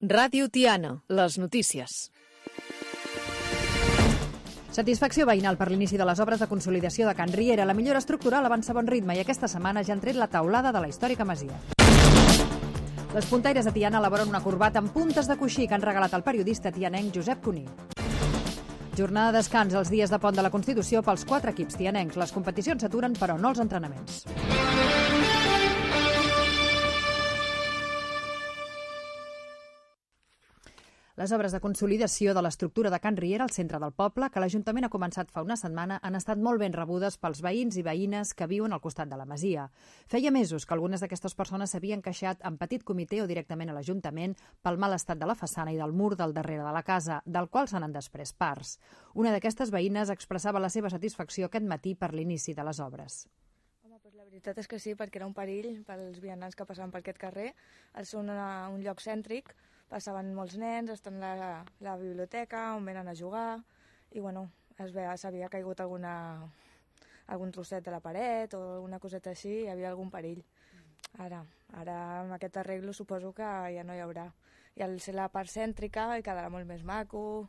Ràdio Tiana, les notícies. Satisfacció veïnal per l'inici de les obres de consolidació de Can Riera. La millora estructural avança a bon ritme i aquesta setmana ja han tret la teulada de la històrica masia. Les puntaires de Tiana elaboren una corbata amb puntes de coixí que han regalat al periodista tianenc Josep Cuní. Jornada de descans els dies de pont de la Constitució pels 4 equips tianencs. Les competicions s'aturen, però no els entrenaments. Les obres de consolidació de l'estructura de Can Riera al centre del poble, que l'Ajuntament ha començat fa una setmana, han estat molt ben rebudes pels veïns i veïnes que viuen al costat de la masia. Feia mesos que algunes d'aquestes persones s'havien queixat en petit comitè o directament a l'Ajuntament pel mal estat de la façana i del mur del darrere de la casa, del qual se n'han desprès parts. Una d'aquestes veïnes expressava la seva satisfacció aquest matí per l'inici de les obres. La veritat és que sí, perquè era un perill pels vianants que passaven per aquest carrer. És un lloc cèntric, passaven molts nens, estan a la biblioteca, on venen a jugar, i bueno, s'havia caigut algun trosset de la paret o alguna coseta així, hi havia algun perill. Ara amb aquest arreglo suposo que ja no hi haurà. I al ser la part cèntrica hi quedarà molt més maco,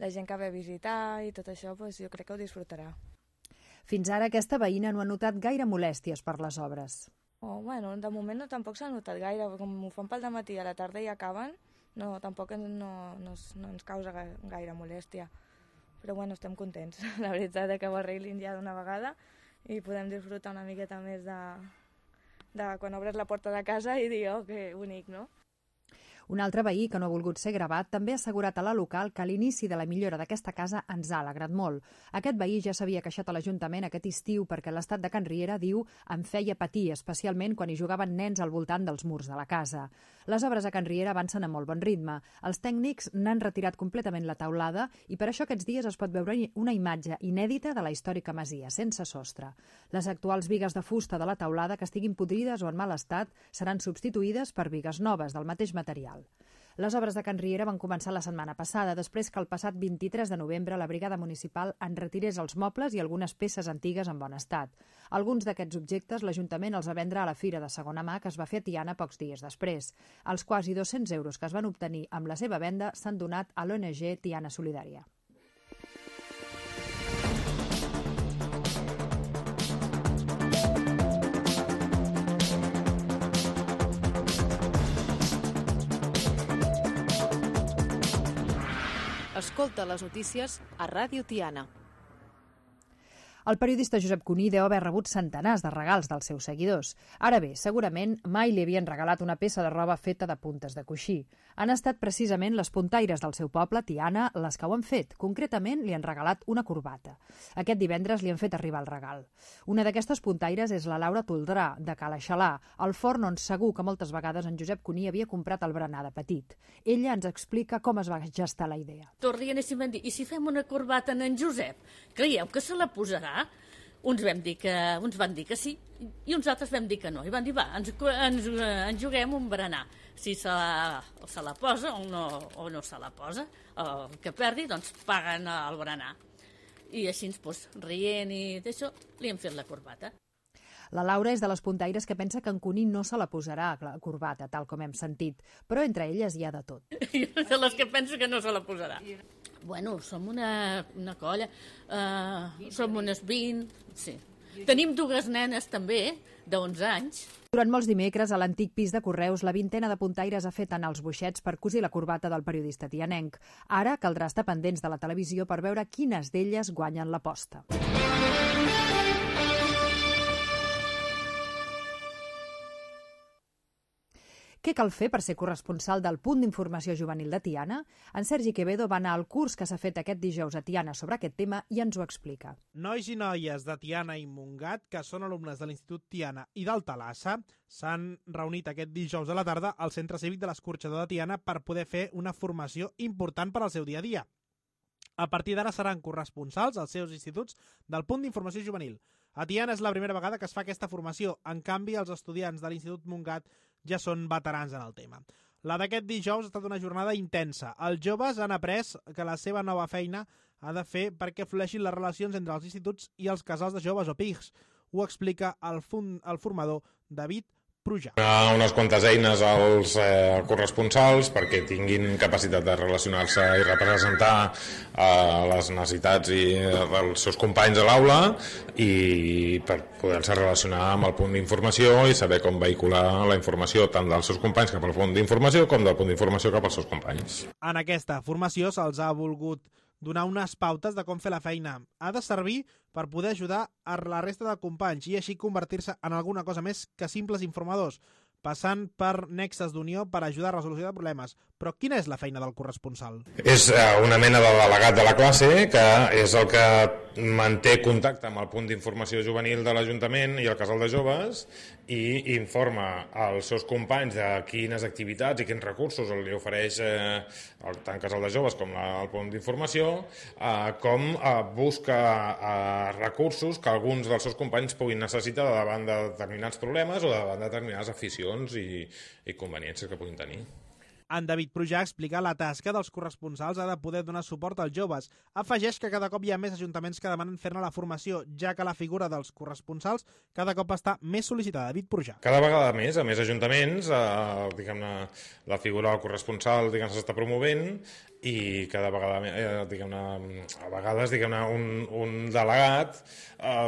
la gent que ve a visitar i tot això, doncs jo crec que ho disfrutarà. Fins ara aquesta veïna no ha notat gaire molèsties per les obres. Bueno, de moment tampoc s'ha notat gaire, com ho fan pel dematí a la tarda i acaben, tampoc no ens causa gaire molèstia. Però bueno, estem contents, la veritat, que ho arreglin ja d'una vegada i podem disfrutar una miqueta més de quan obres la porta de casa i dir, oh, que bonic, no? Un altre veí, que no ha volgut ser gravat, també ha assegurat a la local que l'inici de la millora d'aquesta casa ens ha alegrat molt. Aquest veí ja s'havia queixat a l'Ajuntament aquest estiu perquè l'estat de Can Riera, diu, em feia patir, especialment quan hi jugaven nens al voltant dels murs de la casa. Les obres a Can Riera avancen a molt bon ritme. Els tècnics n'han retirat completament la teulada i per això aquests dies es pot veure una imatge inèdita de la històrica masia, sense sostre. Les actuals bigues de fusta de la teulada, que estiguin podrides o en mal estat, seran substituïdes per bigues noves del mateix material. Les obres de Can Riera van començar la setmana passada, després que el passat 23 de novembre la brigada municipal en retirés els mobles i algunes peces antigues en bon estat. Alguns d'aquests objectes l'Ajuntament els va vendre a la Fira de Segona Mà que es va fer a Tiana pocs dies després. Els quasi 200 euros que es van obtenir amb la seva venda s'han donat a l'ONG Tiana Solidària. Escolta les notícies a Ràdio Tiana. El periodista Josep Cuní deu haver rebut centenars de regals dels seus seguidors. Ara bé, segurament mai li havien regalat una peça de roba feta de puntes de coixí. Han estat precisament les puntaires del seu poble, Tiana, les que ho han fet. Concretament, li han regalat una corbata. Aquest divendres li han fet arribar el regal. Una d'aquestes puntaires és la Laura Toldrà, de Cala Xalà, el forn on segur que moltes vegades en Josep Cuní havia comprat el berenar de petit. Ella ens explica com es va gestar la idea. Tot rient i van dir, i si fem una corbata en Josep, creieu que se la posarà? Uns van dir que sí i uns altres vam dir que no. I van dir, va, ens juguem un berenar. Si se la posa o no se la posa, el que perdi, doncs paguen el berenar. I així, doncs, rient i d'això, li hem fet la corbata. La Laura és de les puntaires que pensa que en Cuní no se la posarà, la corbata, tal com hem sentit, però entre elles hi ha de tot. Jo de les que penso que no se la posarà. Bueno, som una colla, som unes 20, sí. Tenim 2 nenes també, d'11 anys. Durant molts dimecres, a l'antic pis de Correus, la vintena de puntaires ha fet anar els boixets per cosir la corbata del periodista tianenc. Ara caldrà estar pendents de la televisió per veure quines d'elles guanyen l'aposta. Què cal fer per ser corresponsal del punt d'informació juvenil de Tiana? En Sergi Quevedo va anar al curs que s'ha fet aquest dijous a Tiana sobre aquest tema i ens ho explica. Nois i noies de Tiana i Montgat, que són alumnes de l'Institut Tiana i del Talassa, s'han reunit aquest dijous a la tarda al Centre Cívic de l'Escorxador de Tiana per poder fer una formació important per al seu dia a dia. A partir d'ara seran corresponsals als seus instituts del punt d'informació juvenil. A Tiana és la primera vegada que es fa aquesta formació. En canvi, els estudiants de l'Institut Montgat ja són veterans en el tema. La d'aquest dijous ha estat una jornada intensa. Els joves han après que la seva nova feina ha de fer perquè flueixin les relacions entre els instituts i els casals de joves o PIGs. Ho explica el formador David Prujà. Unes quantes eines als corresponsals perquè tinguin capacitat de relacionar-se i representar les necessitats dels seus companys a l'aula i per poder-se relacionar amb el punt d'informació i saber com vehicular la informació tant dels seus companys cap al punt d'informació com del punt d'informació cap als seus companys. En aquesta formació se'ls ha volgut donar unes pautes de com fer la feina. Ha de servir per poder ajudar a la resta de companys i així convertir-se en alguna cosa més que simples informadors, passant per nexes d'unió per ajudar a resolució de problemes. Però quina és la feina del corresponsal? És una mena de delegat de la classe que és el que manté contacte amb el punt d'informació juvenil de l'Ajuntament i el casal de joves i informa als seus companys de quines activitats i quins recursos li ofereix tant el casal de joves com el punt d'informació, com busca recursos que alguns dels seus companys puguin necessitar davant de determinats problemes o davant de determinades aficions i conveniències que puguin tenir. En David Prujà explica la tasca dels corresponsals ha de poder donar suport als joves. Afegeix que cada cop hi ha més ajuntaments que demanen fer-ne la formació, ja que la figura dels corresponsals cada cop està més sol·licitada. David Prujà. Cada vegada més, a més ajuntaments, diguem-ne, la figura del corresponsal s'està promovent i cada vegada a vegades un delegat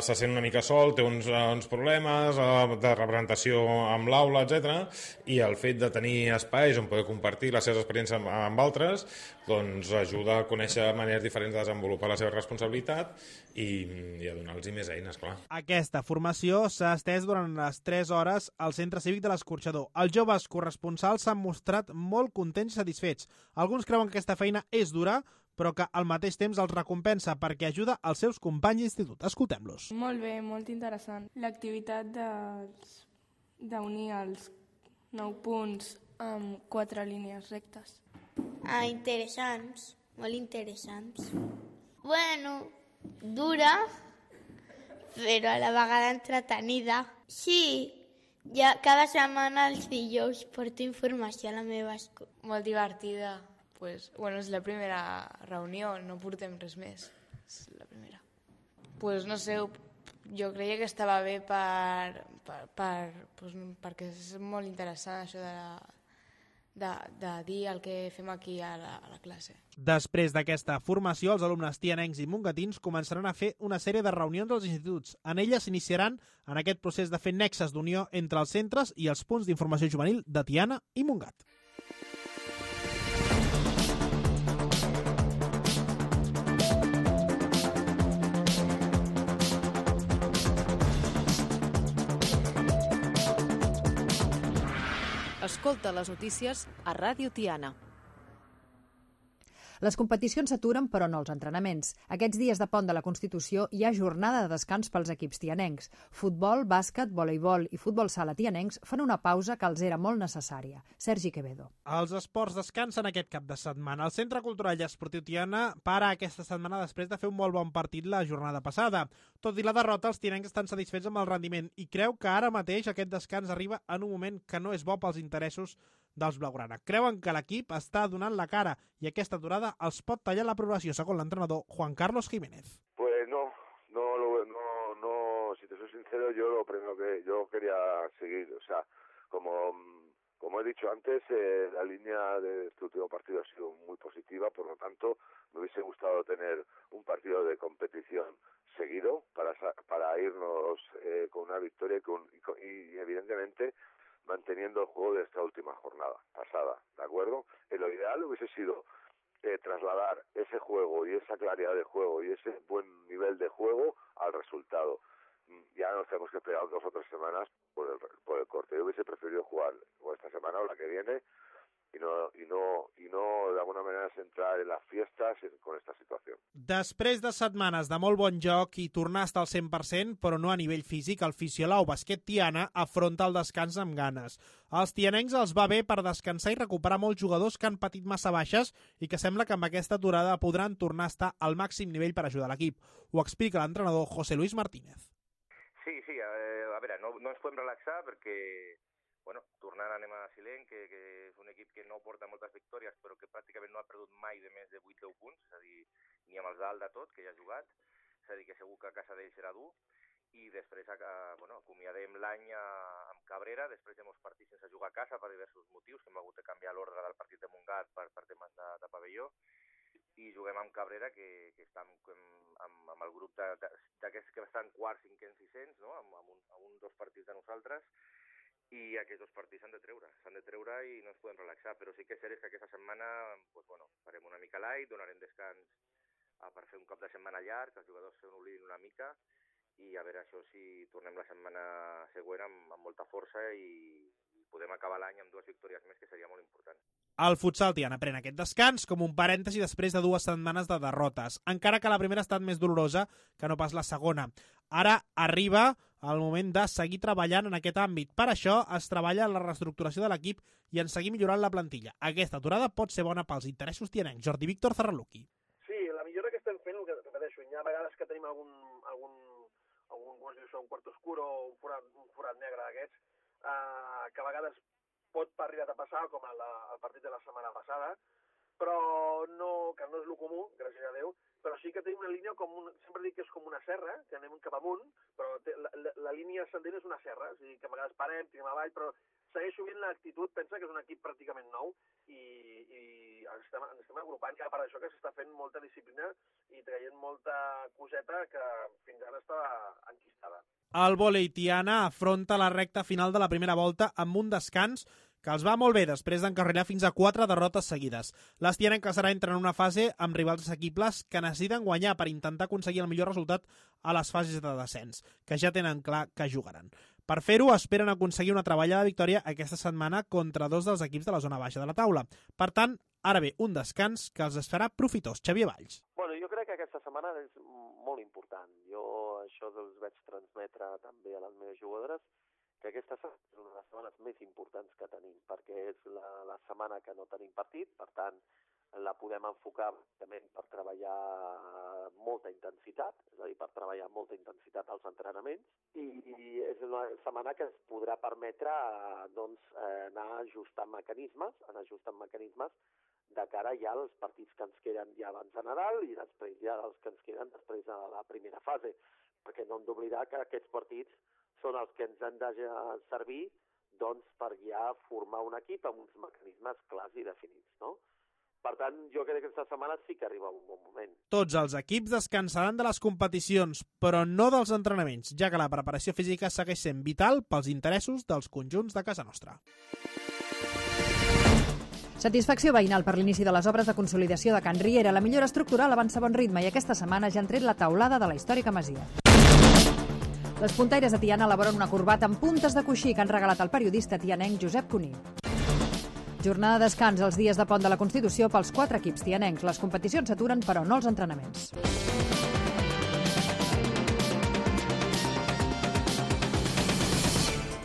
se sent una mica sol, té uns problemes de representació amb l'aula, etc. I el fet de tenir espais on poder compartir les seves experiències amb altres doncs ajuda a conèixer maneres diferents de desenvolupar la seva responsabilitat i a donar-los més eines, clar. Aquesta formació s'ha estès durant les 3 hores al Centre Cívic de l'Escorxador. Els joves corresponsals s'han mostrat molt contents i satisfets. Alguns creuen que aquesta feina és dura, però que al mateix temps els recompensa perquè ajuda als seus companys d'institut. Escoltem-los. Molt bé, molt interessant. L'activitat d'unir els 9 punts amb 4 línies rectes. Interessants, molt interessants. Bueno, dura, però a la vegada entretenida. Sí, ja cada setmana els dijous porto informació a la meva escola. Molt divertida. És la primera reunió, no portem res més. És la primera. No sé, jo creia que estava bé perquè és molt interessant això de dir el que fem aquí a la classe. Després d'aquesta formació, els alumnes tianencs i mongatins començaran a fer una sèrie de reunions als instituts. En elles s'iniciaran en aquest procés de fer nexes d'unió entre els centres i els punts d'informació juvenil de Tiana i Montgat. Escolta les notícies a Ràdio Tiana. Les competicions s'aturen, però no els entrenaments. Aquests dies de pont de la Constitució hi ha jornada de descans pels equips tianencs. Futbol, bàsquet, voleibol i futbol sala tianencs fan una pausa que els era molt necessària. Sergi Quevedo. Els esports descansen aquest cap de setmana. El Centre Cultural i Esportiu Tiana para aquesta setmana després de fer un molt bon partit la jornada passada. Tot i la derrota, els tianencs estan satisfets amb el rendiment i creu que ara mateix aquest descans arriba en un moment que no és bo pels interessos dels blaugrana. Creuen que l'equip està donant la cara i aquesta aturada els pot tallar la progressió, segons l'entrenador Juan Carlos Jiménez. Pues no, si te soy sincero, yo lo primero que yo quería seguir, o sea, como he dicho antes, la línea de este último partido ha sido muy positiva, por lo tanto, me hubiese gustado tener un partido de competición seguido para irnos con una victoria y evidentemente manteniendo el juego de esta última jornada pasada, ¿de acuerdo? Lo ideal hubiese sido trasladar ese juego y esa claridad de juego y ese buen nivel de juego al resultado. Ya nos tenemos que esperar 2 o 3 semanas por el corte. Yo hubiese preferido jugar o esta semana o la que viene y no de alguna manera centrar en las fiestas con esta situació. Després de setmanes de molt bon joc i tornar a estar al 100%, però no a nivell físic, el Fisiolao Basquet Tiana afronta el descans amb ganes. Als tianencs els va bé per descansar i recuperar molts jugadors que han patit massa baixes i que sembla que amb aquesta aturada podran tornar a estar al màxim nivell per ajudar l'equip. Ho explica l'entrenador José Luis Martínez. Sí, a veure, no ens podem relaxar perquè tornant anem a Silent, que és un equip que no porta moltes victòries, però que pràcticament no ha perdut mai de més de 8-10 punts, és a dir, ni amb els dalt de tot, que ja ha jugat, és a dir, que segur que a casa d'ell serà dur, i després acomiadem l'any amb Cabrera, després hem partit sense jugar a casa per diversos motius, que hem hagut de canviar l'ordre del partit de Montgat per temes de pavelló, i juguem amb Cabrera, que està amb el grup d'aquests que estan quarts, cinquens i sisens, no? amb 2 partits de nosaltres, i aquests 2 partits s'han de treure i no ens podem relaxar, però sí que és cert que aquesta setmana farem una mica light, donarem descans per fer un cap de setmana llarg, que els jugadors se n'oblidin una mica, i a veure això si tornem la setmana següent amb molta força i podem acabar l'any amb 2 victòries més, que seria molt important. El futsal Tiana pren aquest descans com un parèntesi després de 2 setmanes de derrotes, encara que la primera ha estat més dolorosa que no pas la segona. Ara arriba el moment de seguir treballant en aquest àmbit. Per això es treballa en la reestructuració de l'equip i en seguir millorant la plantilla. Aquesta aturada pot ser bona pels interessos tianencs. Jordi Víctor Zarraluki. Sí, la millora que estem fent, el que repeteixo, hi ha vegades que tenim algun un quart oscur o un forat negre d'aquests, que a vegades pot arribar a passar, com el partit de la setmana passada, però que no és el comú, gràcies a Déu, però sí que tenim una línia sempre dic que és com una serra, que anem cap amunt, però la línia ascendent és una serra, és a dir, que a vegades parem, tirem avall, però segueixo veient l'actitud, pensa que és un equip pràcticament nou i ens estem agrupant, ja per això que s'està fent molta disciplina i traient molta coseta que fins ara estava enquistada. El vòlei Tiana afronta la recta final de la primera volta amb un descans que els va molt bé després d'encarrilar fins a 4 derrotes seguides. Les tianenques ara entren en una fase amb rivals assequibles que necessiten guanyar per intentar aconseguir el millor resultat a les fases de descens, que ja tenen clar que jugaran. Per fer-ho, esperen aconseguir una treballada victòria aquesta setmana contra 2 dels equips de la zona baixa de la taula. Per tant, ara ve un descans que els farà profitós. Xavier Valls. Bueno, jo crec que aquesta setmana és molt important. Jo això els vaig transmetre també a les meves jugadores, que aquesta és una de les setmanes més importants que tenim, perquè és la setmana que no tenim partit, per tant, la podem enfocar per treballar molta intensitat, és a dir, per treballar molta intensitat als entrenaments, i és una setmana que ens podrà permetre anar ajustant mecanismes de cara ja als partits que ens queden ja abans de Nadal i després ja els que ens queden després de la primera fase, perquè no hem d'oblidar que aquests partits són els que ens han de servir per ja formar un equip amb uns mecanismes clars i definits, no? Per tant, jo crec que aquesta setmana sí que arriba un bon moment. Tots els equips descansaran de les competicions, però no dels entrenaments, ja que la preparació física segueix sent vital pels interessos dels conjunts de casa nostra. Satisfacció veïnal per l'inici de les obres de consolidació de Can Riera. La millora estructural avança a bon ritme i aquesta setmana ja han tret la teulada de la històrica masia. Les puntaires de Tiana elaboren una corbata amb puntes de coixí que han regalat al periodista tianenc Josep Cuní. Jornada de descans els dies de Pont de la Constitució pels 4 equips tianencs. Les competicions s'aturen, però no els entrenaments.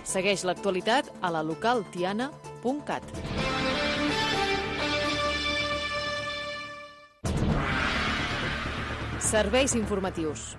Segueix l'actualitat a la localtiana.cat. Serveis informatius.